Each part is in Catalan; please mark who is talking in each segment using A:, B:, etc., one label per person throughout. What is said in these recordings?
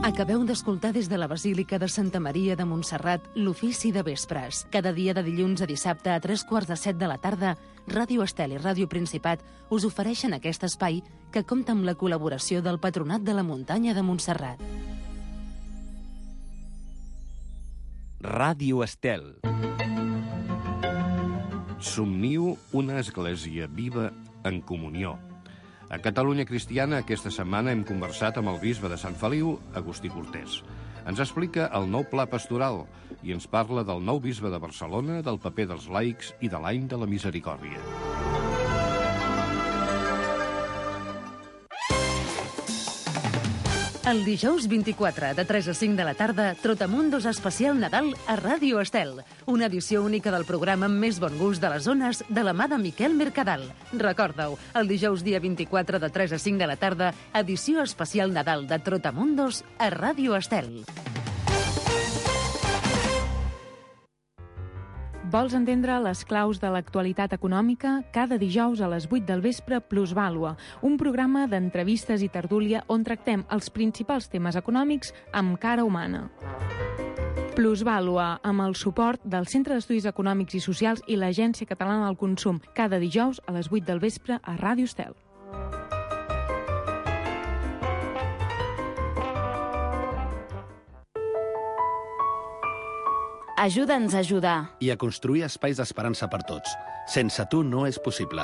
A: Acabeu d'escoltar des de la Basílica de Santa Maria de Montserrat l'ofici de vespres. Cada dia de dilluns a dissabte a 3:45 de la tarda, Ràdio Estel i Ràdio Principat us ofereixen aquest espai que compta amb la col·laboració del Patronat de la Muntanya de Montserrat.
B: Ràdio Estel. Somniu una església viva en comunió. A Catalunya Cristiana aquesta setmana hem conversat amb el bisbe de Sant Feliu, Agustí Cortés. Ens explica el nou pla pastoral i ens parla del nou bisbe de Barcelona, del paper dels laics i de l'any de la misericòrdia.
A: El dijous 24, de 3 a 5 de la tarda, Trotamundos especial Nadal a Ràdio Estel. Una edició única del programa amb més bon gust de les zones de la mà de Miquel Mercadal. Recorda-ho, el dijous dia 24, de 3 a 5 de la tarda, edició especial Nadal de Trotamundos a Ràdio Estel.
C: Vols entendre les claus de l'actualitat econòmica? Cada dijous a les 8 del vespre, Plusvàlua, un programa d'entrevistes i tertúlia on tractem els principals temes econòmics amb cara humana. Plusvàlua, amb el suport del Centre d'Estudis Econòmics i Socials i l'Agència Catalana del Consum, cada dijous a les 8 del vespre a Ràdio Estel.
D: Ajuda'ns a ajudar.
E: I a construir espais d'esperança per tots. Sense tu no és possible.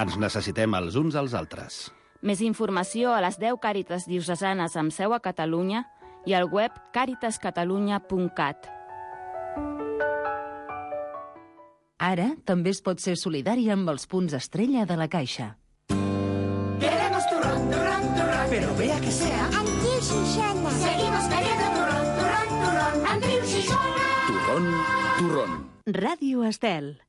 E: Ens necessitem els uns als altres.
D: Més informació a les 10 Càritas diocesanes amb seu a Catalunya i al web caritascatalunya.cat.
A: Ara també es pot ser solidari amb els punts estrella de la Caixa.
F: Queremos turrón, turrón, turrón, pero vea que sea
G: Andreu Xixona.
F: Seguimos queriendo turrón, turrón, turrón, Andreu Xixona.
E: Turrón.
A: Ràdio Estel.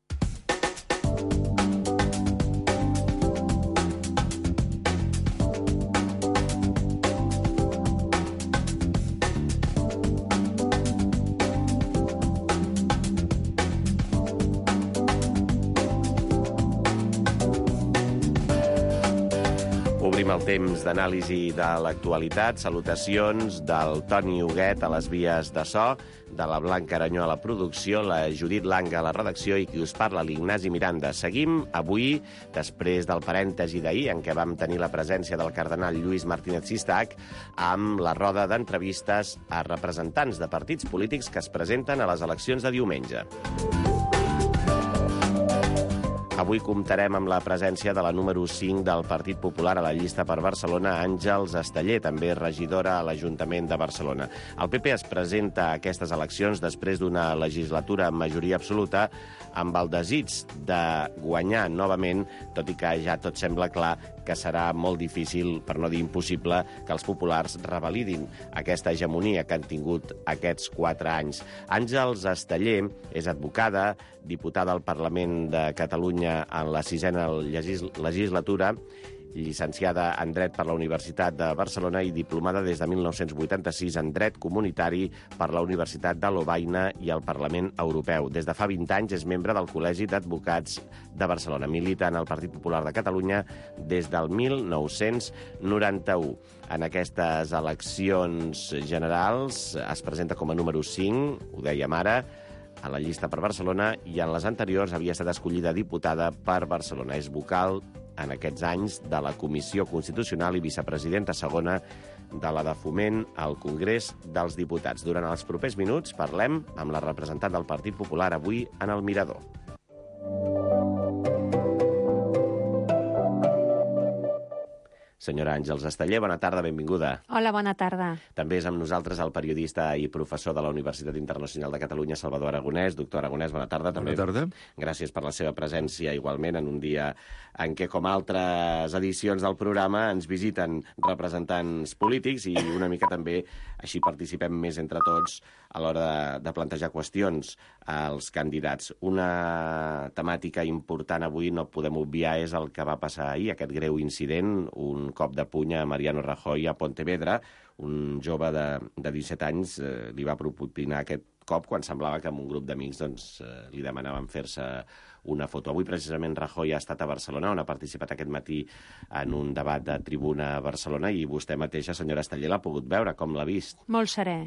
H: Obrim el temps d'anàlisi de l'actualitat. Salutacions del Toni Huguet a les vies de so, de la Blanca Aranyó a la producció, la Judit Langa a la redacció i qui us parla, l'Ignasi Miranda. Seguim avui, després del parèntesi d'ahir, en què vam tenir la presència del cardenal Lluís Martínez Sistac, amb la roda d'entrevistes a representants de partits polítics que es presenten a les eleccions de diumenge. Avui comptarem amb la presència de la número 5 del Partit Popular a la llista per Barcelona, Àngels Esteller, també regidora a l'Ajuntament de Barcelona. El PP es presenta a aquestes eleccions després d'una legislatura amb majoria absoluta, amb el desig de guanyar novament, tot i que ja tot sembla clar que serà molt difícil, per no dir impossible, que els populars revalidin aquesta hegemonia que han tingut aquests 4 anys. Àngels Esteller és advocada, diputada al Parlament de Catalunya en la 6a legislatura, llicenciada en Dret per la Universitat de Barcelona i diplomada des de 1986 en Dret Comunitari per la Universitat de Lovaina i el Parlament Europeu. Des de fa 20 anys és membre del Col·legi d'Advocats de Barcelona. Milita en el Partit Popular de Catalunya des del 1991. En aquestes eleccions generals es presenta com a número 5, ho dèiem ara, a la llista per Barcelona, i en les anteriors havia estat escollida diputada per Barcelona. És vocal en aquests anys de la Comissió Constitucional i vicepresidenta segona de la de Foment al Congrés dels Diputats. Durant els propers minuts parlem amb la representant del Partit Popular avui en el Mirador. Senyora Àngels Esteller, bona tarda, benvinguda.
C: Hola, bona tarda.
H: També és amb nosaltres el periodista i professor de la Universitat Internacional de Catalunya, Salvador Aragonès. Doctor Aragonès, bona tarda. També.
I: Bona tarda.
H: Gràcies per la seva presència igualment en un dia en què, com altres edicions del programa, ens visiten representants polítics i una mica també així participem més entre tots a l'hora de plantejar qüestions als candidats. Una temàtica important avui, no podem obviar, és el que va passar ahir, aquest greu incident, un cop de puny a Mariano Rajoy a Pontevedra. Un jove de 17 anys li va propinar aquest cop quan semblava que amb un grup d'amics li demanaven fer-se una foto. Avui, precisament, Rajoy ha estat a Barcelona, on ha participat aquest matí en un debat de tribuna a Barcelona, i vostè mateixa, senyora Esteller, l'ha pogut veure. Com l'ha vist?
G: Molt serè,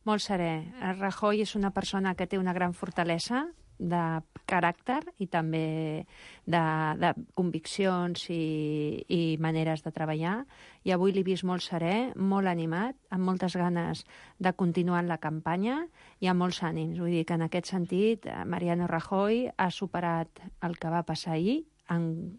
G: molt serè. Rajoy és una persona que té una gran fortalesa de caràcter i també de conviccions i maneres de treballar. I avui l'he vist molt serè, molt animat, amb moltes ganes de continuar en la campanya i amb molts ànims. Vull dir que en aquest sentit Mariano Rajoy ha superat el que va passar ahir en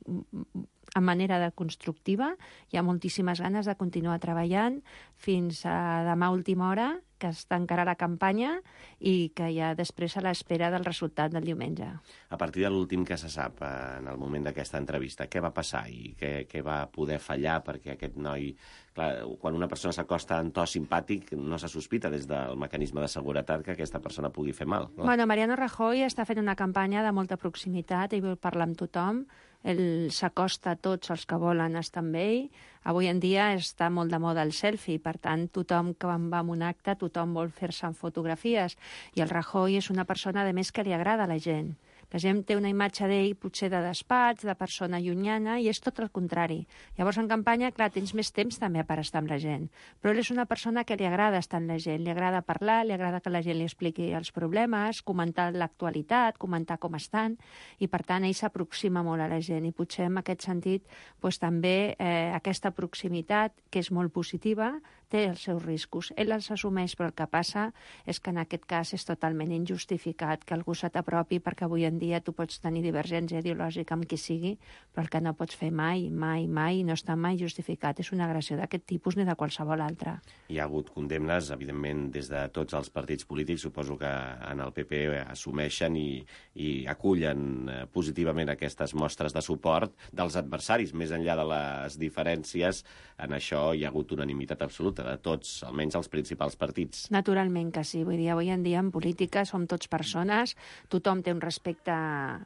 G: manera de constructiva. Hi ha moltíssimes ganes de continuar treballant fins a demà última hora, que es tancarà la campanya i que ja després a l'espera del resultat del diumenge.
H: A partir de l'últim que se sap en el moment d'aquesta entrevista, què va passar i què va poder fallar perquè aquest noi... Clar, quan una persona s'acosta en to simpàtic, no se sospita des del mecanisme de seguretat que aquesta persona pugui fer mal. No?
G: Bueno, Mariano Rajoy està fent una campanya de molta proximitat, ell vol parlar amb tothom, ell s'acosta a tots els que volen estar amb ell. Avui en dia està molt de moda el selfie, per tant, tothom que va a un acte, tothom vol fer-se en fotografies. I el Rajoy és una persona, a més, que li agrada a la gent. La gent té una imatge d'ell potser de despatx, de persona llunyana, i és tot el contrari. Llavors, en campanya, clar, tens més temps també per estar amb la gent. Però ell és una persona que li agrada estar amb la gent, li agrada parlar, li agrada que la gent li expliqui els problemes, comentar l'actualitat, comentar com estan, i per tant ell s'aproxima molt a la gent. I potser en aquest sentit també aquesta proximitat, que és molt positiva, té els seus riscos. Ell els assumeix, però el que passa és que en aquest cas és totalment injustificat que algú se t'apropi, perquè avui en dia tu pots tenir divergència ideològica amb qui sigui, però el que no pots fer mai, no està mai justificat. És una agressió d'aquest tipus ni de qualsevol altra.
H: Hi ha hagut condemnes, evidentment, des de tots els partits polítics. Suposo que en el PP assumeixen i acullen positivament aquestes mostres de suport dels adversaris. Més enllà de les diferències, en això hi ha hagut unanimitat absoluta de tots, almenys els principals partits.
G: Naturalment que sí. Vull dir, avui en dia en política som tots persones, tothom té un respecte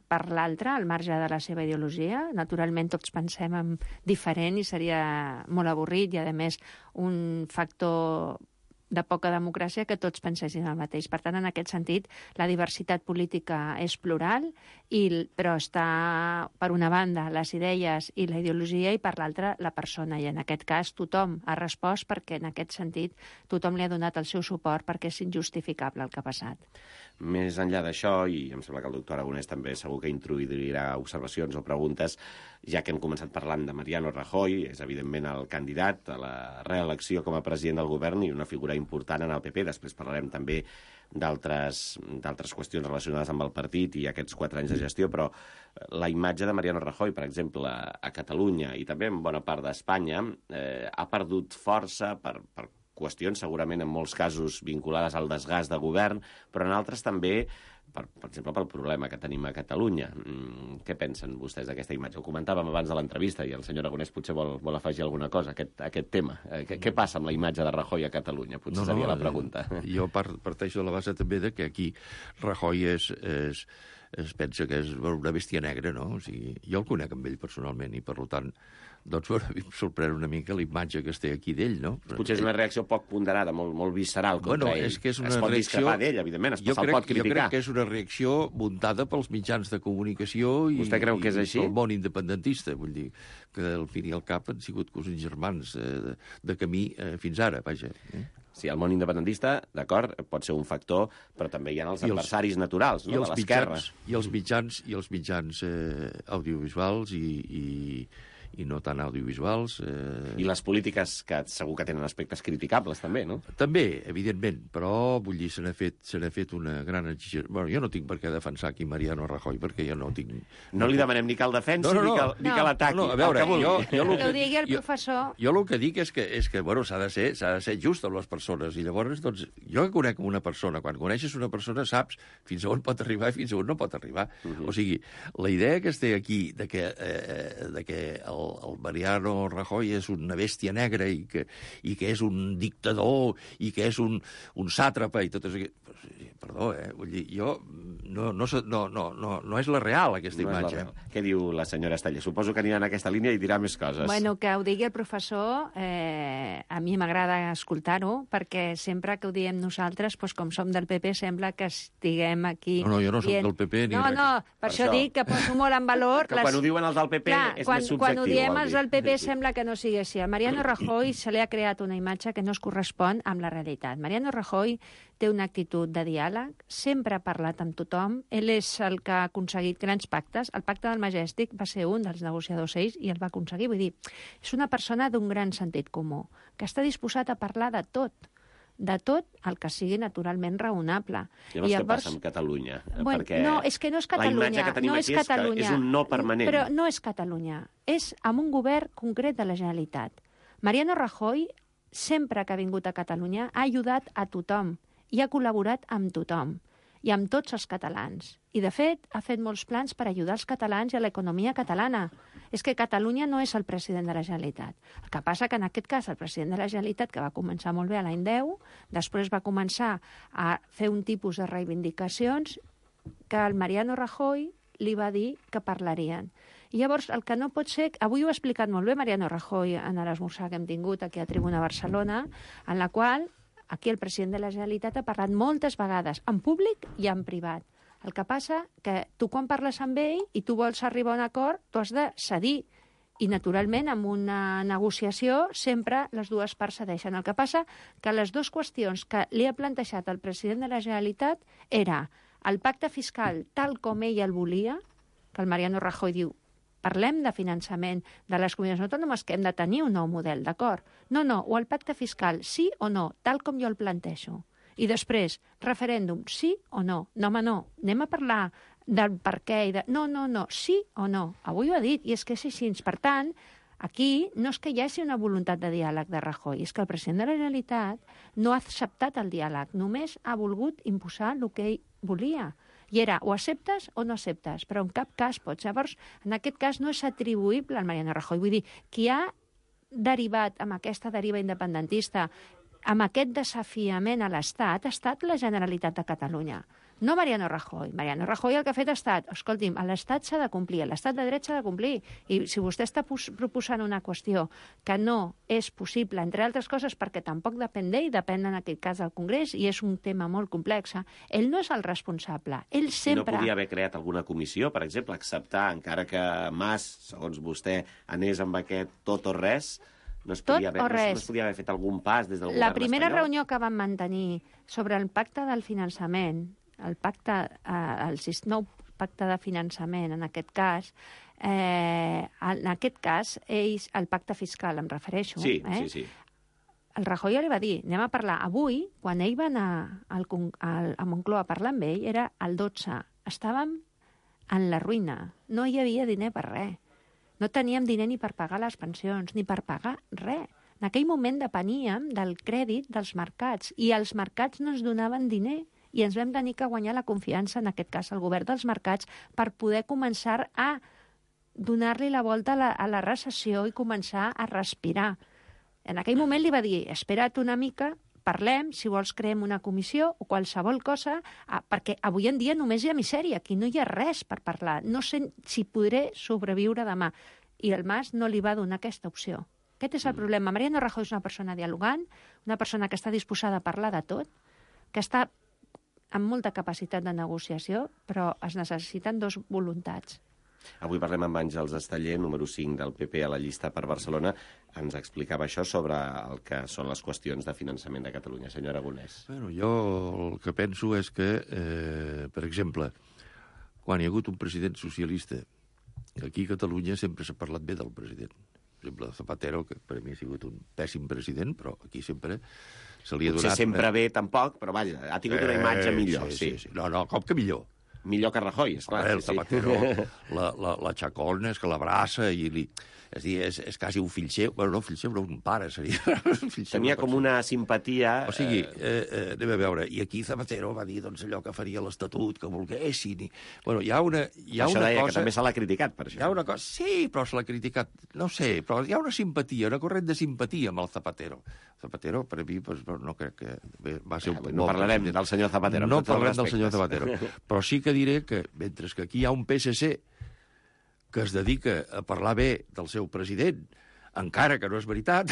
G: per l'altre, al marge de la seva ideologia. Naturalment tots pensem en diferent i seria molt avorrit i, a més, un factor de poca democràcia que tots pensessin el mateix. Per tant, en aquest sentit, la diversitat política és plural, però està, per una banda, les idees i la ideologia, i per l'altra, la persona. I en aquest cas tothom ha respost perquè, en aquest sentit, tothom li ha donat el seu suport perquè és injustificable el que ha passat.
H: Més enllà d'això, i em sembla que el doctor Aragonès també segur que introduirà observacions o preguntes, ja que hem començat parlant de Mariano Rajoy, és evidentment el candidat a la reelecció com a president del govern i una figura important en el PP. Després parlarem també d'altres qüestions relacionades amb el partit i aquests 4 anys de gestió, però la imatge de Mariano Rajoy, per exemple, a Catalunya i també en bona part d'Espanya, ha perdut força per qüestions segurament en molts casos vinculades al desgast de govern, però en altres també, per exemple, pel problema que tenim a Catalunya. Què pensen vostès d'aquesta imatge? Ho comentàvem abans de l'entrevista i el senyor Aragonès potser vol afegir alguna cosa a aquest tema. Què passa amb la imatge de Rajoy a Catalunya? Potser seria la pregunta.
B: Jo parteixo de la base també de que aquí Rajoy es pensa que és una bèstia negra, no? O sigui, jo el conec amb ell personalment i, per tant, doncs em sorprèn una mica la imatge que es té aquí d'ell, no?
H: Potser és una reacció poc ponderada, molt visceral contra ell.
B: És que és una
H: es pot
B: reacció...
H: discrepar d'ell, evidentment, se'l pot criticar.
B: Jo crec que és una reacció muntada pels mitjans de comunicació i pel món independentista. Vull dir que al fin i al cap han sigut cosins germans de camí fins ara, vaja.
H: Sí, el món independentista, d'acord, pot ser un factor, però també hi ha els adversaris naturals, no?, de l'esquerra.
B: I els mitjans audiovisuals i no tan audiovisuals.
H: I les polítiques que segur que tenen aspectes criticables, també, no?
B: També, evidentment, però, vull dir, se n'ha fet una gran exigència. Bueno, jo no tinc per què defensar aquí Mariano Rajoy, perquè jo no tinc...
H: No li demanem ni que el defensi ni que l'ataqui.
B: No, a veure,
G: que ho digui el professor...
B: Jo el que dic és que bueno, s'ha de ser just amb les persones, i llavors, doncs, jo que conec una persona, quan coneixes una persona saps fins a on pot arribar i fins a on no pot arribar. O sigui, la idea que es té aquí de que el Mariano Rajoy és una bèstia negra i que és un dictador i que és un sàtrapa i tot això... Perdó, vull dir, jo no és la real, aquesta imatge.
H: Què diu la senyora Esteller? Suposo que anirà en aquesta línia i dirà més coses.
G: Bueno, que ho digui el professor, a mi m'agrada escoltar-ho, perquè sempre que ho diem nosaltres, doncs, com som del PP, sembla que estiguem aquí...
B: No, jo no soc del PP ni res.
G: No, per això dic que poso molt en valor...
H: Que quan ho diuen els del PP és més subjectiu.
G: Quan ho diem els del PP sembla que no sigui així. A Mariano Rajoy se li ha creat una imatge que no es correspon amb la realitat. Mariano Rajoy té una actitud de diàleg, sempre ha parlat amb tothom, ell és el que ha aconseguit grans pactes. El pacte del Majestic va ser un dels negociadors ells i el va aconseguir. Vull dir, és una persona d'un gran sentit comú, que està disposat a parlar de tot el que sigui naturalment raonable.
H: Llavors, què passa amb Catalunya?
G: Bueno, no, és que no és Catalunya.
H: La imatge que tenim aquí és un no permanent.
G: Però no és Catalunya, és amb un govern concret de la Generalitat. Mariano Rajoy, sempre que ha vingut a Catalunya, ha ajudat a tothom i ha col·laborat amb tothom i amb tots els catalans. I, de fet, ha fet molts plans per ajudar els catalans i a l'economia catalana. És que Catalunya no és el president de la Generalitat. El que passa que, en aquest cas, el president de la Generalitat, que va començar molt bé a l'any 10, després va començar a fer un tipus de reivindicacions que el Mariano Rajoy li va dir que parlarien. I llavors, el que no pot ser... Avui ho ha explicat molt bé Mariano Rajoy en l'esmorzar que hem tingut aquí a Tribuna Barcelona, en la qual aquí el president de la Generalitat ha parlat moltes vegades, en públic i en privat. El que passa que tu quan parles amb ell i tu vols arribar a un acord, tu has de cedir. I, naturalment, amb una negociació sempre les dues parts cedeixen. El que passa que les dues qüestions que li ha plantejat el president de la Generalitat era el pacte fiscal tal com ell el volia, que el Mariano Rajoy diu parlem de finançament de les comunitats autònomes, que hem de tenir un nou model, d'acord? No, o el pacte fiscal, sí o no, tal com jo el plantejo. I després, referèndum, sí o no? No, home, no, anem a parlar del per què i de... No, sí o no. Avui ho ha dit, i és que és així. Per tant, aquí no és que hi hagi una voluntat de diàleg de Rajoy, és que el president de la Generalitat no ha acceptat el diàleg, només ha volgut imposar el que ell volia. I era o acceptes o no acceptes, però en cap cas pots. Llavors, en aquest cas no és atribuïble al Mariano Rajoy. Vull dir, qui ha derivat amb aquesta deriva independentista, amb aquest desafiament a l'Estat, ha estat la Generalitat de Catalunya. No Mariano Rajoy. Mariano Rajoy el que ha fet ha estat, escolti'm, l'Estat s'ha de complir, l'Estat de dret s'ha de complir. I si vostè està proposant una qüestió que no és possible, entre altres coses perquè tampoc depèn d'ell, depèn en aquest cas del Congrés, i és un tema molt complex, ell no és el responsable. Ell sempre...
H: No podia haver creat alguna comissió, per exemple, acceptar, encara que Mas, segons vostè, anés amb aquest tot o res... No es podia haver fet algun pas des del govern espanyol?
G: La primera reunió que vam mantenir sobre el pacte del finançament, el nou pacte de finançament, en aquest cas, ells, el pacte fiscal, em refereixo.
H: Sí.
G: El Rajoy li va dir, anem a parlar. Avui, quan ell va anar a Moncloa a parlar amb ell, era el 12. Estàvem en la ruïna. No hi havia diner per res. No teníem diner ni per pagar les pensions, ni per pagar res. En aquell moment depeníem del crèdit dels mercats i els mercats no ens donaven diner i ens vam tenir que guanyar la confiança, en aquest cas el govern dels mercats, per poder començar a donar-li la volta a la recessió i començar a respirar. En aquell moment li va dir, espera't una mica, parlem, si vols creem una comissió o qualsevol cosa, perquè avui en dia només hi ha misèria, aquí no hi ha res per parlar, no sé si podré sobreviure demà. I el Mas no li va donar aquesta opció. Aquest és el problema. Mariano Rajoy és una persona dialogant, una persona que està disposada a parlar de tot, que està amb molta capacitat de negociació, però es necessiten dos voluntats.
H: Avui parlem amb Àngels Esteller, número 5 del PP a la llista per Barcelona. Ens explicava això sobre el que són les qüestions de finançament de Catalunya. Senyor Aragonès.
B: Bueno, jo el que penso és que, per exemple, quan hi ha hagut un president socialista, aquí a Catalunya sempre s'ha parlat bé del president. Per exemple, Zapatero, que per mi ha sigut un pèssim president, però aquí sempre se li ha donat...
H: Potser sempre bé, tampoc, però vaja, ha tingut una imatge millor.
B: Sí. No, com que millor?
H: Millor que Rajoy, esclar.
B: El Zapatero, la xacona, és que l'abraça i li... És a dir, és quasi un fill seu. Bueno, no, fill seu, no, un pare, seria.
H: Tenia com una simpatia...
B: O sigui, anem a veure, i aquí Zapatero va dir doncs, allò que faria l'Estatut, que volguessin... Bueno, hi ha una
H: això deia cosa... que també se l'ha criticat, per això.
B: Hi ha una cosa... Sí, però se l'ha criticat, no sé, però hi ha una simpatia, una corrent de simpatia amb el Zapatero. Zapatero, per a mi, doncs, no crec que va ser un...
H: No parlarem del senyor Zapatero.
B: No parlarem del senyor Zapatero, però sí que
I: que diré que, mentre que aquí hi ha un PSC que es dedica a parlar bé del seu president, encara que no és veritat,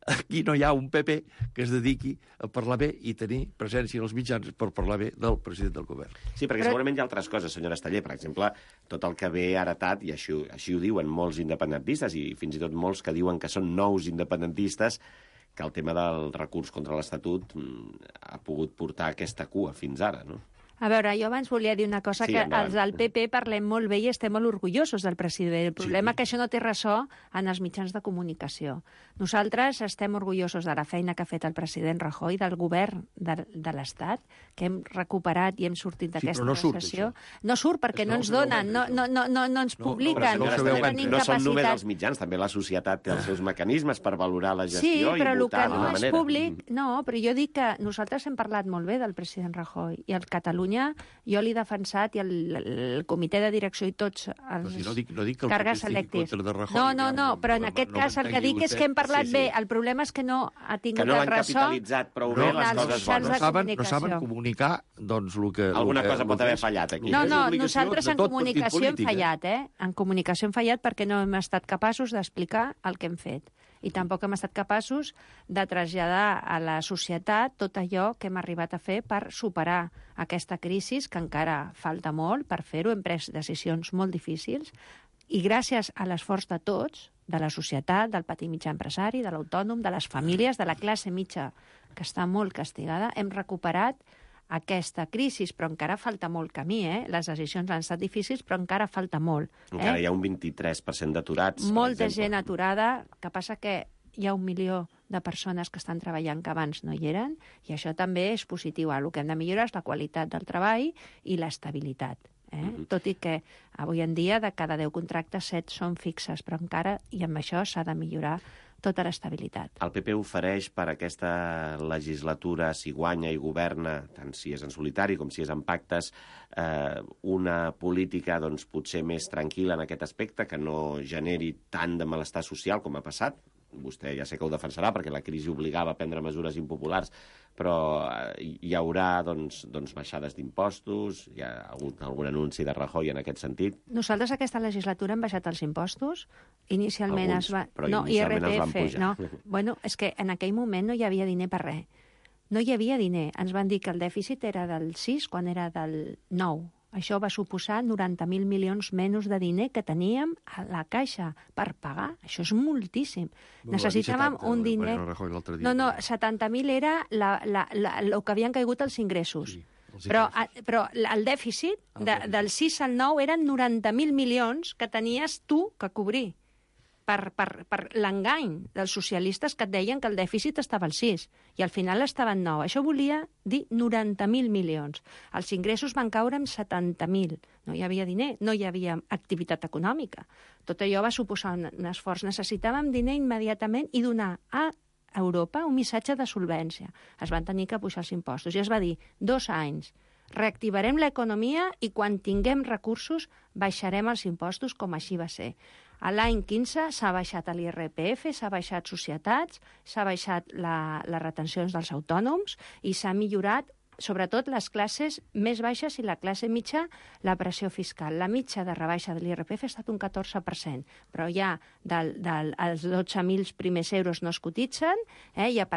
I: aquí no hi ha un PP que es dediqui a parlar bé i tenir presència en els mitjans per parlar bé del president del govern.
H: Sí, perquè segurament hi ha altres coses, senyora Esteller. Per exemple, tot el que ve heretat, i així ho diuen molts independentistes, i fins i tot molts que diuen que són nous independentistes, que el tema del recurs contra l'Estatut ha pogut portar aquesta cua fins ara, no?
G: A veure, jo abans volia dir una cosa,
H: Sí,
G: que
H: endavant.
G: els del PP parlem molt bé i estem molt orgullosos del president. El problema és que això no té ressò en els mitjans de comunicació. Nosaltres estem orgullosos de la feina que ha fet el president Rajoy, del govern de l'Estat, que hem recuperat i hem sortit d'aquesta recessió. No surt perquè no ens donen, no ens publiquen.
H: No són només els mitjans, també la societat té els seus mecanismes per valorar la gestió i votar d'una manera.
G: Sí, però el que no és públic... No, però jo dic que nosaltres hem parlat molt bé del president Rajoy i el Catalunya jo l'he defensat i el comitè de direcció i tots els càrrecs electes. No, però en aquest cas el que dic és que hem parlat bé. El problema és que no ha tingut el ressò.
H: Que no han capitalitzat prou bé les coses bones.
I: No saben comunicar, doncs, el que...
H: Alguna cosa pot haver fallat aquí.
G: No, nosaltres en comunicació hem fallat, En comunicació hem fallat perquè no hem estat capaços d'explicar el que hem fet. I tampoc hem estat capaços de traslladar a la societat tot allò que hem arribat a fer per superar aquesta crisi, que encara falta molt per fer-ho. Hem pres decisions molt difícils i gràcies a l'esforç de tots, de la societat, del petit mitjà empresari, de l'autònom, de les famílies, de la classe mitja, que està molt castigada, hem recuperat aquesta crisi, però encara falta molt camí, Les decisions han estat difícils, però encara falta molt.
H: Encara hi ha un 23% d'aturats,
G: molta gent aturada, que passa que hi ha 1 milió de persones que estan treballant que abans no hi eren, i això també és positiu. El que hem de millorar és la qualitat del treball i l'estabilitat. Tot i que avui en dia de cada 10 contractes 7 són fixes, però encara, i amb això s'ha de millorar tota l'estabilitat.
H: El PP ofereix per aquesta legislatura, si guanya i governa, tant si és en solitari com si és en pactes, una política doncs, potser més tranquil·la en aquest aspecte, que no generi tant de malestar social com ha passat. Vostè ja sé que ho defensarà perquè la crisi obligava a prendre mesures impopulars, però hi haurà doncs, baixades d'impostos, hi ha hagut algun anunci de Rajoy en aquest sentit.
G: Nosaltres aquesta legislatura hem baixat els impostos. Inicialment
H: alguns,
G: es va...
H: però inicialment els van pujar.
G: No. Bueno, és que en aquell moment no hi havia diner per res. No hi havia diner. Ens van dir que el dèficit era del 6 quan era del 9. Això va suposar 90.000 milions menys de diner que teníem a la caixa per pagar. Això és moltíssim. Necessitàvem un diner... No, 70.000 era el que havien caigut els ingressos. Sí, però el dèficit del 6 al 9 eren 90.000 milions que tenies tu que cobrir per l'engany dels socialistes que et deien que el dèficit estava al 6 i al final estava en 9. Això volia dir 90.000 milions. Els ingressos van caure en 70.000. No hi havia diner, no hi havia activitat econòmica. Tot allò va suposar un esforç. Necessitàvem diner immediatament i donar a Europa un missatge de solvència. Es van tenir que pujar els impostos i es va dir 2 anys. Reactivarem l'economia i quan tinguem recursos baixarem els impostos, com així va ser. A l'any 15 s'ha baixat l'IRPF, s'ha baixat societats, s'ha baixat les retencions dels autònoms i s'ha millorat, sobretot, les classes més baixes i la classe mitja, la pressió fiscal. La mitja de rebaixa de l'IRPF ha estat un 14%, però ja els 12.000 primers euros no es cotitzen, hi ha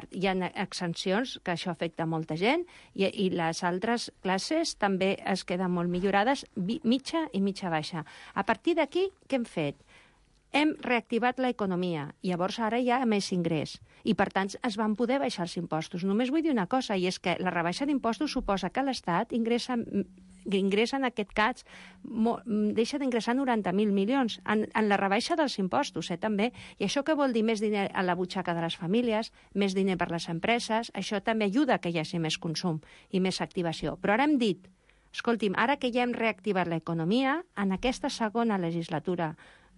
G: exempcions, que això afecta molta gent, i les altres classes també es queden molt millorades, mitja i mitja baixa. A partir d'aquí, què hem fet? Hem reactivat l'economia, i llavors ara hi ha més ingrés, i per tant es van poder baixar els impostos. Només vull dir una cosa, i és que la rebaixa d'impostos suposa que l'Estat ingressa en aquest cas, deixa d'ingressar 90.000 milions en la rebaixa dels impostos, també. I això què vol dir? Més diner a la butxaca de les famílies, més diner per les empreses, això també ajuda que hi hagi més consum i més activació. Però ara hem dit, escolti'm, ara que ja hem reactivat l'economia, en aquesta segona legislatura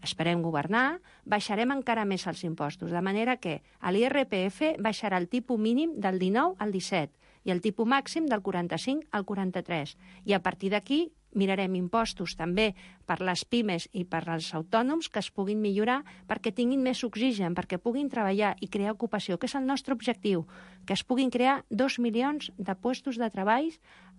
G: esperem governar, baixarem encara més els impostos, de manera que a l'IRPF baixarà el tipus mínim del 19 al 17 i el tipus màxim del 45 al 43. I a partir d'aquí mirarem impostos també per les pimes i per als autònoms que es puguin millorar perquè tinguin més oxigen, perquè puguin treballar i crear ocupació, que és el nostre objectiu, que es puguin crear 2 milions de llocs de treball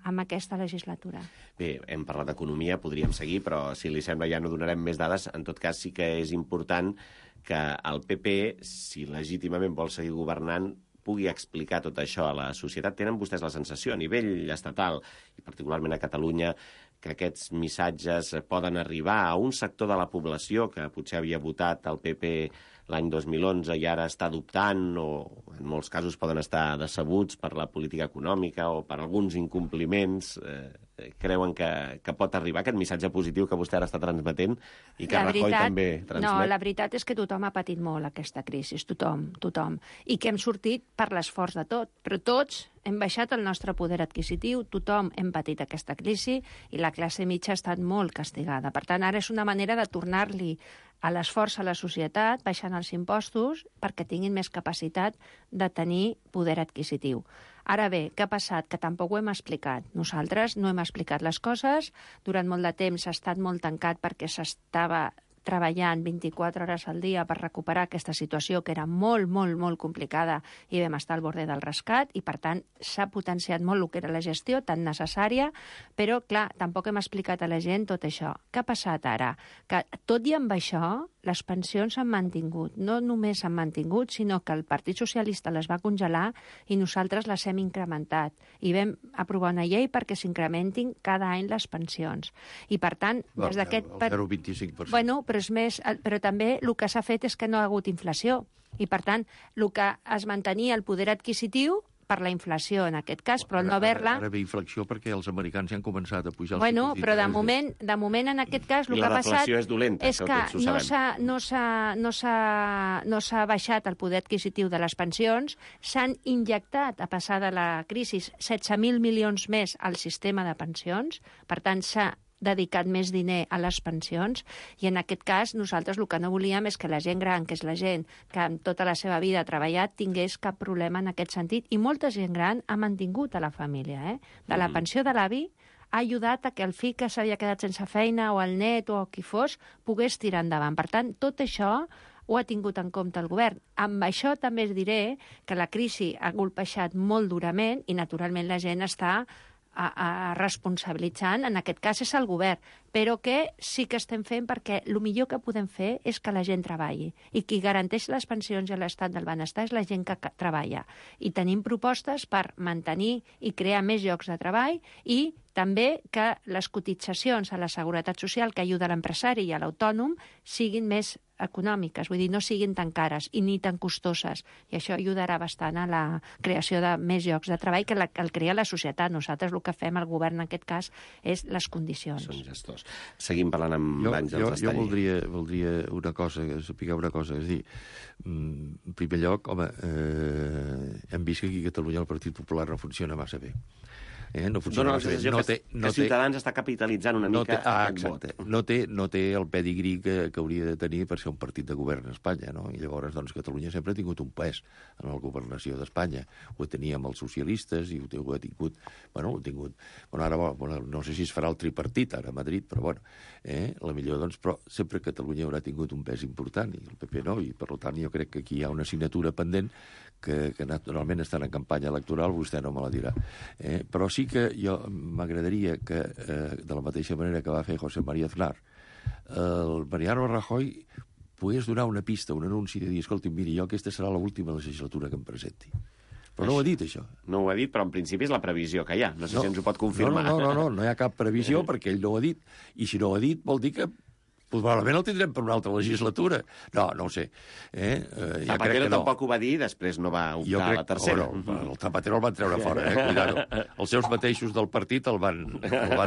G: amb aquesta legislatura.
H: Bé, hem parlat d'economia, podríem seguir, però si li sembla ja no donarem més dades. En tot cas, sí que és important que el PP, si legítimament vol seguir governant, pugui explicar tot això a la societat. Tenen vostès la sensació, a nivell estatal, i particularment a Catalunya, que aquests missatges poden arribar a un sector de la població que potser havia votat el PP l'any 2011 i ara està adoptant, o en molts casos poden estar decebuts per la política econòmica o per alguns incompliments, creuen que pot arribar aquest missatge positiu que vostè ara està transmetent i que Rajoy també transmet?
G: No, la veritat és que tothom ha patit molt aquesta crisi, tothom. I que hem sortit per l'esforç de tot, però tots hem baixat el nostre poder adquisitiu, tothom hem patit aquesta crisi i la classe mitja ha estat molt castigada. Per tant, ara és una manera de tornar-li a l'esforç a la societat, baixant els impostos, perquè tinguin més capacitat de tenir poder adquisitiu. Ara bé, què ha passat? Que tampoc ho hem explicat. Nosaltres no hem explicat les coses. Durant molt de temps s'ha estat molt tancat perquè s'estava treballant 24 hores al dia per recuperar aquesta situació que era molt, molt, molt complicada i vam estar al borde del rescat i, per tant, s'ha potenciat molt el que era la gestió tan necessària, però, clar, tampoc hem explicat a la gent tot això. Què ha passat ara? Que, tot i amb això, les pensions s'han mantingut. No només s'han mantingut, sinó que el Partit Socialista les va congelar i nosaltres les hem incrementat. I vam aprovar una llei perquè s'incrementin cada any les pensions. I, per tant, des d'aquest...
I: El 0,25%.
G: Bueno, però també el que s'ha fet és que no ha hagut inflació. I, per tant, el que es mantenia el poder adquisitiu per la inflació, en aquest cas, però no haver-la...
I: Ara ve inflació perquè els americans ja han començat a pujar els
G: tipus d'interès. Però de moment, en aquest cas, el que ha passat...
H: I la deflació és dolenta,
G: és que no s'ha baixat el poder adquisitiu de les pensions, s'han injectat, a passar de la crisi, 16.000 milions més al sistema de pensions, per tant, s'ha dedicat més diner a les pensions i en aquest cas nosaltres el que no volíem és que la gent gran, que és la gent que amb tota la seva vida ha treballat, tingués cap problema en aquest sentit i molta gent gran ha mantingut a la família. De la pensió de l'avi ha ajudat a que el fill que s'havia quedat sense feina o el net o qui fos pogués tirar endavant. Per tant, tot això ho ha tingut en compte el govern. Amb això també es diré que la crisi ha golpejat molt durament i naturalment la gent està responsabilitzant, en aquest cas és el govern, però que sí que estem fent perquè el millor que podem fer és que la gent treballi i qui garanteix les pensions i l'estat del benestar és la gent que treballa. I tenim propostes per mantenir i crear més llocs de treball i també que les cotitzacions a la Seguretat Social que ajuda l'empresari i a l'autònom siguin més econòmiques, vull dir, no siguin tan cares i ni tan costoses. I això ajudarà bastant a la creació de més llocs de treball que el crea la societat. Nosaltres el que fem al govern en aquest cas és les condicions.
H: Són gestors. Seguim parlant amb Àngels Esteller.
I: Jo voldria una cosa, saber una cosa, és a dir, en primer lloc, home, hem vist que aquí a Catalunya el Partit Popular no funciona massa bé. No funciona massa bé.
H: Que Ciutadans està capitalitzant una mica aquest vot.
I: No té el pedigrí que hauria de tenir per ser un partit de govern a Espanya, no? I llavors, doncs, Catalunya sempre ha tingut un pes en la governació d'Espanya. Ho tenia amb els socialistes i ho ha tingut... Bueno, ara, no sé si es farà el tripartit ara a Madrid, però bueno, la millor, doncs, però sempre Catalunya haurà tingut un pes important i el PP no, i per tant jo crec que aquí hi ha una assignatura pendent que naturalment estan en campanya electoral, vostè no me la dirà. Però sí que jo m'agradaria que, de la mateixa manera que va fer José María Aznar, el Mariano Rajoy pogués donar una pista, un anunci de dir, escolti, miri, jo aquesta serà l'última legislatura que em presenti. Però no ho ha dit, això.
H: No ho ha dit, però en principi és la previsió que hi ha. No sé si ens ho pot confirmar.
I: No hi ha cap previsió perquè ell no ho ha dit. I si no ho ha dit, vol dir que probablement el tindrem per una altra legislatura. No ho sé.
H: Zapatero tampoc ho va dir, després no va optar a la tercera.
I: El Zapatero el van treure fora, cuidado. Els seus mateixos del partit el van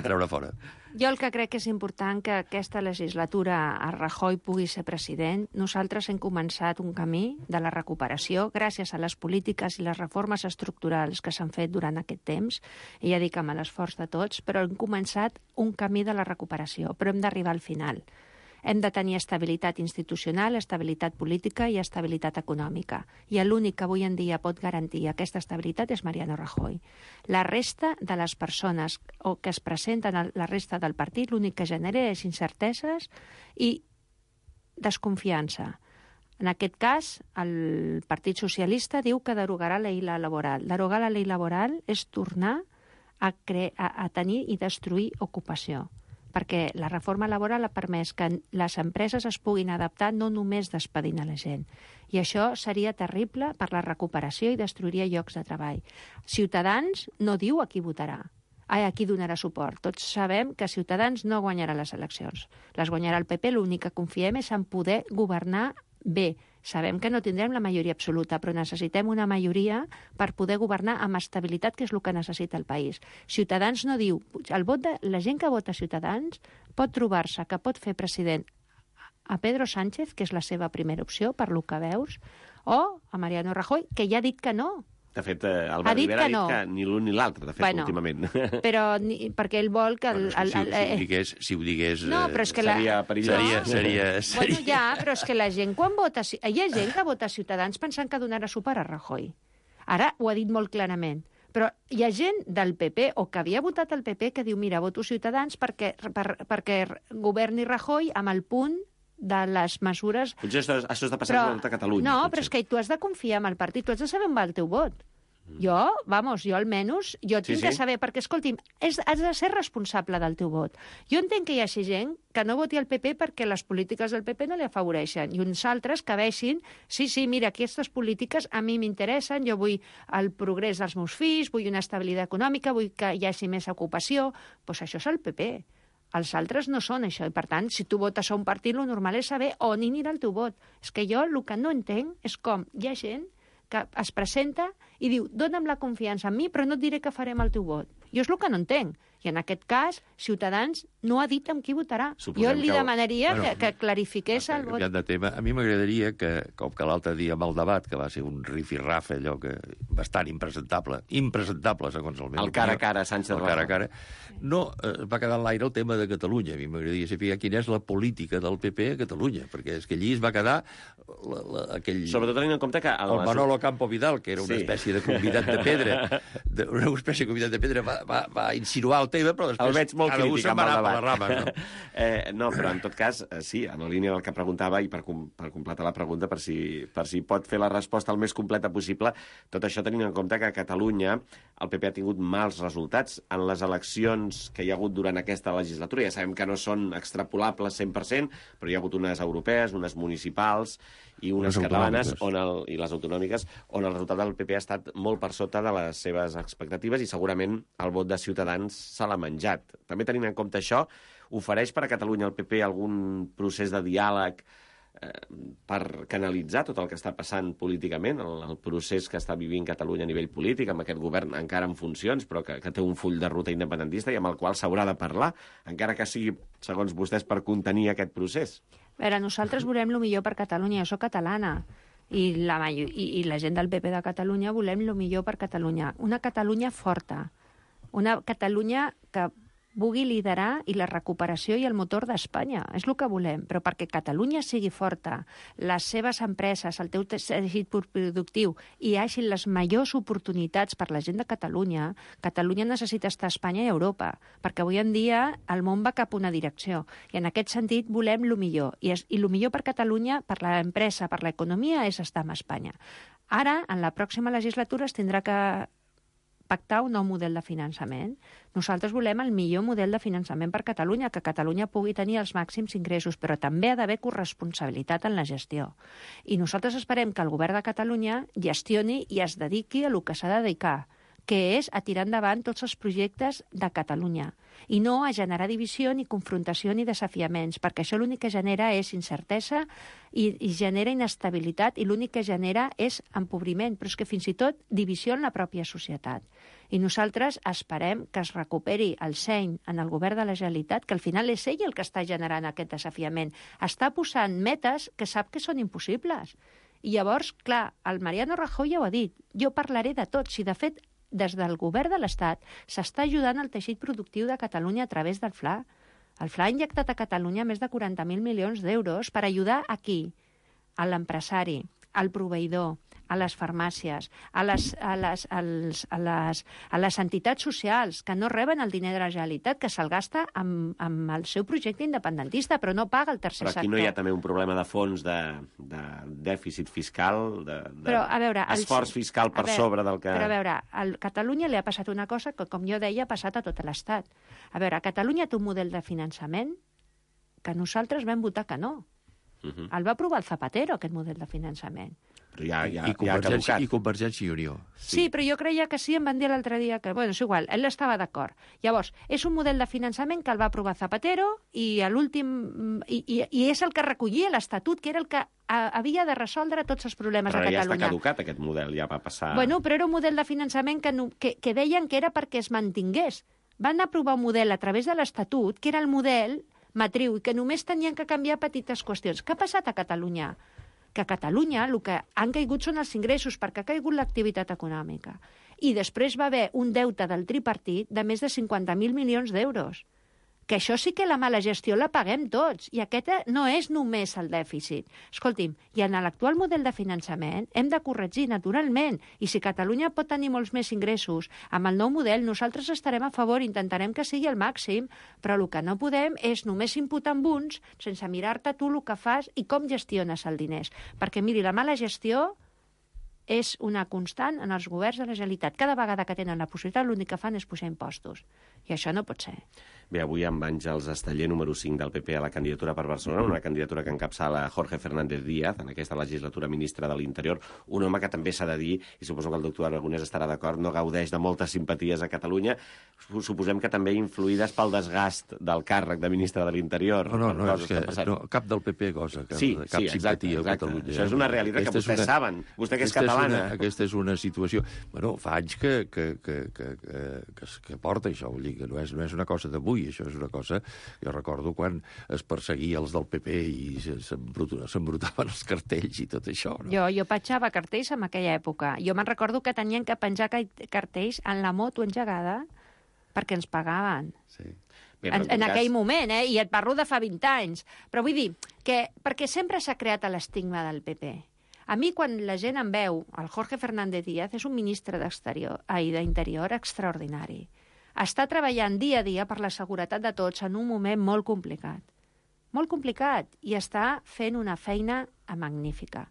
I: treure fora.
G: Jo el que crec que és important que aquesta legislatura a Rajoy pugui ser president. Nosaltres hem començat un camí de la recuperació gràcies a les polítiques i les reformes estructurals que s'han fet durant aquest temps, i ja dic amb l'esforç de tots, però hem començat un camí de la recuperació, però hem d'arribar al final. Hem de tenir estabilitat institucional, estabilitat política i estabilitat econòmica. I l'únic que avui en dia pot garantir aquesta estabilitat és Mariano Rajoy. La resta de les persones que es presenten a la resta del partit l'únic que genera és incerteses i desconfiança. En aquest cas, el Partit Socialista diu que derogarà la llei laboral. Derogar la llei laboral és tornar a tenir i destruir ocupació, perquè la reforma laboral ha permès que les empreses es puguin adaptar no només despedint a la gent. I això seria terrible per la recuperació i destruiria llocs de treball. Ciutadans no diu a qui votarà, a qui donarà suport. Tots sabem que Ciutadans no guanyarà les eleccions. Les guanyarà el PP, l'únic que confiem és en poder governar bé. Sabem que no tindrem la majoria absoluta, però necessitem una majoria per poder governar amb estabilitat, que és el que necessita el país. Ciutadans no diu... La gent que vota Ciutadans pot trobar-se que pot fer president a Pedro Sánchez, que és la seva primera opció, per lo que veus, o a Mariano Rajoy, que ja ha dit que no.
H: De fet, Albert Rivera ha dit que ni l'un ni l'altre, de fet, últimament.
G: Però perquè ell vol que...
I: Si ho digués...
G: No, però és que
H: seria perillós.
I: Seria...
G: Bueno, ja, però és que la gent quan vota... Hi ha gent que vota Ciutadans pensant que donarà suport a Rajoy. Ara ho ha dit molt clarament. Però hi ha gent del PP o que havia votat el PP que diu, mira, voto Ciutadans perquè governi Rajoy amb el punt de les mesures...
H: Potser això està passant a Catalunya.
G: No, però és que tu has de confiar en el partit, tu has de saber on va el teu vot. Jo almenys, tinc de saber, perquè, escolti'm, has de ser responsable del teu vot. Jo entenc que hi hagi gent que no voti el PP perquè les polítiques del PP no li afavoreixen, i uns altres que veixin, sí, mira, aquestes polítiques a mi m'interessen, jo vull el progrés dels meus fills, vull una estabilitat econòmica, vull que hi hagi més ocupació, doncs això és el PP. Els altres no són això, i per tant, si tu votes a un partit, el normal és saber on anirà el teu vot. És que jo el que no entenc és com hi ha gent que es presenta i diu, dona'm la confiança en mi, però no et diré què farem el teu vot. Jo és el que no entenc. I en aquest cas, Ciutadans no ha dit amb qui votarà. Jo li demanaria que clarifiqués el vot.
I: De tema. A mi m'agradaria que, com que l'altre dia amb el debat, que va ser un rifirrafe, allò que bastant impresentable, segons el meu...
H: El cara a cara, Sánchez Rajoy.
I: El cara a cara. No, va quedar en l'aire el tema de Catalunya. A mi m'agradaria saber quina és la política del PP a Catalunya, perquè és que allí es va quedar aquell...
H: Sobretot tenint en compte que...
I: El Manolo Campo Vidal, que era una espècie de convidat de pedra, va insinuar el tema, però després...
H: El veig molt crític amb el debat.
I: Rama, no?
H: No, però en tot cas, sí, en la línia del que preguntava, i per completar la pregunta, per si pot fer la resposta el més completa possible, tot això tenint en compte que a Catalunya el PP ha tingut mals resultats en les eleccions que hi ha hagut durant aquesta legislatura. Ja sabem que no són extrapolables 100%, però hi ha hagut unes europees, unes municipals i unes catalanes i les autonòmiques, on el resultat del PP ha estat molt per sota de les seves expectatives i segurament el vot de Ciutadans se l'ha menjat. També tenint en compte això, ofereix per a Catalunya el PP algun procés de diàleg per canalitzar tot el que està passant políticament, el procés que està vivint Catalunya a nivell polític, amb aquest govern encara en funcions, però que té un full de ruta independentista i amb el qual s'haurà de parlar, encara que sigui, segons vostès, per contenir aquest procés?
G: A veure, nosaltres volem el millor per Catalunya, jo soc catalana, i la gent del PP de Catalunya volem el millor per Catalunya. Una Catalunya forta, una Catalunya que vulgui liderar i la recuperació i el motor d'Espanya. És el que volem, però perquè Catalunya sigui forta, les seves empreses, el teu teixit productiu i hi hagi les majors oportunitats per la gent de Catalunya, Catalunya necessita estar a Espanya i a Europa, perquè avui en dia el món va cap a una direcció. I en aquest sentit volem el millor. I el millor per Catalunya, per l'empresa, per l'economia, és estar amb Espanya. Ara, en la pròxima legislatura, es tindrà que pactar un nou model de finançament. Nosaltres volem el millor model de finançament per Catalunya, que Catalunya pugui tenir els màxims ingressos, però també ha d'haver corresponsabilitat en la gestió. I nosaltres esperem que el govern de Catalunya gestioni i es dediqui a el que s'ha de dedicar, que és a tirar endavant tots els projectes de Catalunya, i no a generar divisió, ni confrontació, ni desafiaments, perquè això l'únic que genera és incertesa i genera inestabilitat, i l'únic que genera és empobriment, però és que fins i tot divisió en la pròpia societat. I nosaltres esperem que es recuperi el seny en el govern de la Generalitat, que al final és ell el que està generant aquest desafiament. Està posant metes que sap que són impossibles. I llavors, clar, el Mariano Rajoy ja ho ha dit, jo parlaré de tot. Si de fet des del govern de l'Estat s'està ajudant el teixit productiu de Catalunya a través del FLA. El FLA ha injectat a Catalunya més de 40.000 milions d'euros per ajudar a qui? A l'empresari, al proveïdor, a les farmàcies, a les entitats socials que no reben el diner de la Generalitat, que se'l gasta amb el seu projecte independentista, però no paga el tercer sector.
H: Però aquí no hi ha també un problema de fons de dèficit fiscal, d'esforç fiscal per sobre del que...
G: Però a veure, a Catalunya li ha passat una cosa que, com jo deia, ha passat a tot l'Estat. A veure, Catalunya té un model de finançament que nosaltres vam votar que no. El va aprovar el Zapatero, aquest model de finançament.
H: Però ja ha
I: caducat.
H: caducat.
I: I Convergència i Unió.
G: Sí, però jo creia que sí, em van dir l'altre dia que... Bueno, és igual, ell estava d'acord. Llavors, és un model de finançament que el va aprovar Zapatero i a l'últim... I és el que recollia l'Estatut, que era el que havia de resoldre tots els problemes a Catalunya.
H: Però ja està caducat, aquest model, ja va passar...
G: Bueno, però era un model de finançament que deien que era perquè es mantingués. Van aprovar un model a través de l'Estatut, que era el model matriu, i que només tenien que canviar petites qüestions. Què ha passat a Catalunya? Que a Catalunya el que han caigut són els ingressos, perquè ha caigut l'activitat econòmica. I després va haver un deute del tripartit de més de 50.000 milions d'euros. Que això sí que la mala gestió la paguem tots, i aquest no és només el dèficit. Escolti'm, i en l'actual model de finançament hem de corregir naturalment, i si Catalunya pot tenir molts més ingressos, amb el nou model nosaltres estarem a favor, intentarem que sigui el màxim, però el que no podem és només imputar amb uns sense mirar-te tu el que fas i com gestiones els diners. Perquè, miri, la mala gestió és una constant en els governs de la Generalitat. Cada vegada que tenen la possibilitat, l'únic que fan és pujar impostos. I això no pot ser.
H: Bé, avui amb Àngels Esteller, número 5 del PP a la candidatura per Barcelona, una candidatura que encapçala Jorge Fernández Díaz, en aquesta legislatura ministre de l'Interior, un home que també s'ha de dir, i suposo que el doctor Aragonès estarà d'acord, no gaudeix de moltes simpaties a Catalunya, suposem que també influïdes pel desgast del càrrec de ministre de l'Interior.
I: No, és que cap del PP gosa cap simpatia a Catalunya.
H: Això és una realitat que vostès saben. Vostè que és catalana.
I: Aquesta és una situació... Bueno, fa anys que porta això, vull dir que no és una cosa d'avui, això és una cosa... Jo recordo quan es perseguia els del PP i s'embrutaven els cartells i tot això. No?
G: Jo petjava cartells en aquella època. Jo me'n recordo que tenien que penjar cartells en la moto engegada perquè ens pagaven.
I: Sí.
G: Bé, en aquell moment, i et parlo de fa 20 anys. Però vull dir que perquè sempre s'ha creat l'estigma del PP. A mi, quan la gent em veu, el Jorge Fernández Díaz és un ministre d'Interior extraordinari. Està treballant dia a dia per la seguretat de tots en un moment molt complicat. Molt complicat. I està fent una feina magnífica.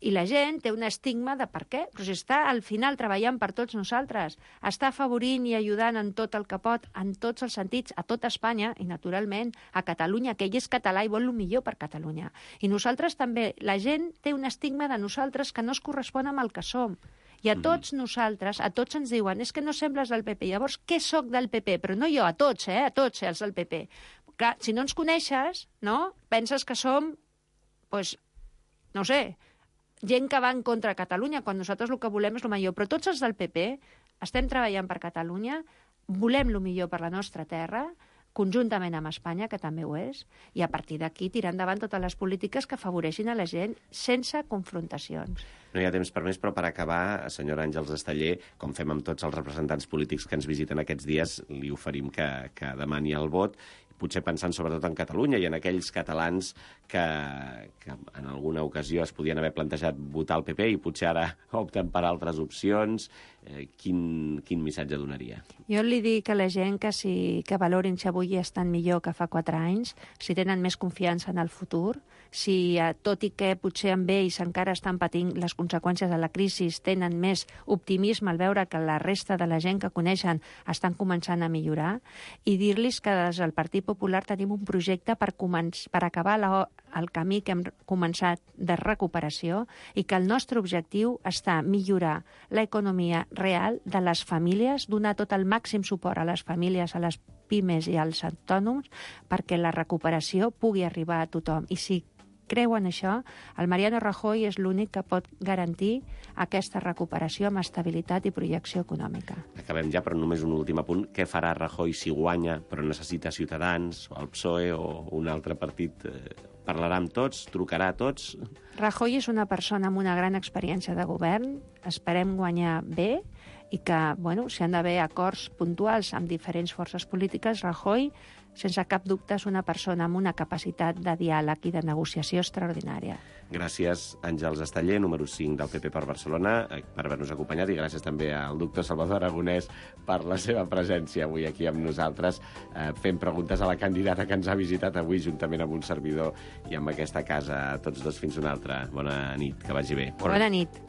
G: I la gent té un estigma de per què? Però si està al final treballant per tots nosaltres, està afavorint i ajudant en tot el que pot, en tots els sentits, a tot Espanya i, naturalment, a Catalunya, que ell és català i vol el millor per Catalunya. I nosaltres també. La gent té un estigma de nosaltres que no es correspon amb el que som. I a tots nosaltres, a tots ens diuen és que no sembles del PP. Llavors, què soc del PP? Però no jo, a tots els del PP. Clar, si no ens coneixes, no? Penses que som, no sé, gent que va en contra de Catalunya, quan nosaltres el que volem és el millor. Però tots els del PP estem treballant per Catalunya, volem el millor per la nostra terra, conjuntament amb Espanya, que també ho és, i a partir d'aquí tirar endavant totes les polítiques que afavoreixin a la gent sense confrontacions.
H: No hi ha temps per més, però per acabar, senyora Àngels Esteller, com fem amb tots els representants polítics que ens visiten aquests dies, li oferim que demani el vot, potser pensant sobretot en Catalunya i en aquells catalans que en alguna ocasió es podien haver plantejat votar el PP i potser ara opten per altres opcions. Quin missatge donaria?
G: Jo li dic a la gent que valorin si avui estan millor que fa 4 anys, si tenen més confiança en el futur, si tot i que potser amb ells encara estan patint les conseqüències de la crisi, tenen més optimisme al veure que la resta de la gent que coneixen estan començant a millorar, i dir-los que des del Partit Popular tenim un projecte per acabar el camí que hem començat de recuperació i que el nostre objectiu està millorar l'economia real de les famílies, donar tot el màxim suport a les famílies, a les pimes i als autònoms perquè la recuperació pugui arribar a tothom. I si creuen això, el Mariano Rajoy és l'únic que pot garantir aquesta recuperació amb estabilitat i projecció econòmica.
H: Acabem ja, però només un últim apunt. Què farà Rajoy si guanya, però necessita Ciutadans, o el PSOE, o un altre partit? Parlarà amb tots? Trucarà a tots?
G: Rajoy és una persona amb una gran experiència de govern. Esperem guanyar bé i que, bueno, si han d'haver acords puntuals amb diferents forces polítiques, Rajoy, sense cap dubte, és una persona amb una capacitat de diàleg i de negociació extraordinària.
H: Gràcies, Àngels Esteller, número 5 del PP per Barcelona, per haver-nos acompanyat, i gràcies també al doctor Salvador Aragonès per la seva presència avui aquí amb nosaltres, fent preguntes a la candidata que ens ha visitat avui juntament amb un servidor i amb aquesta casa. A tots dos, fins una altra. Bona nit, que vagi bé.
G: Bona nit.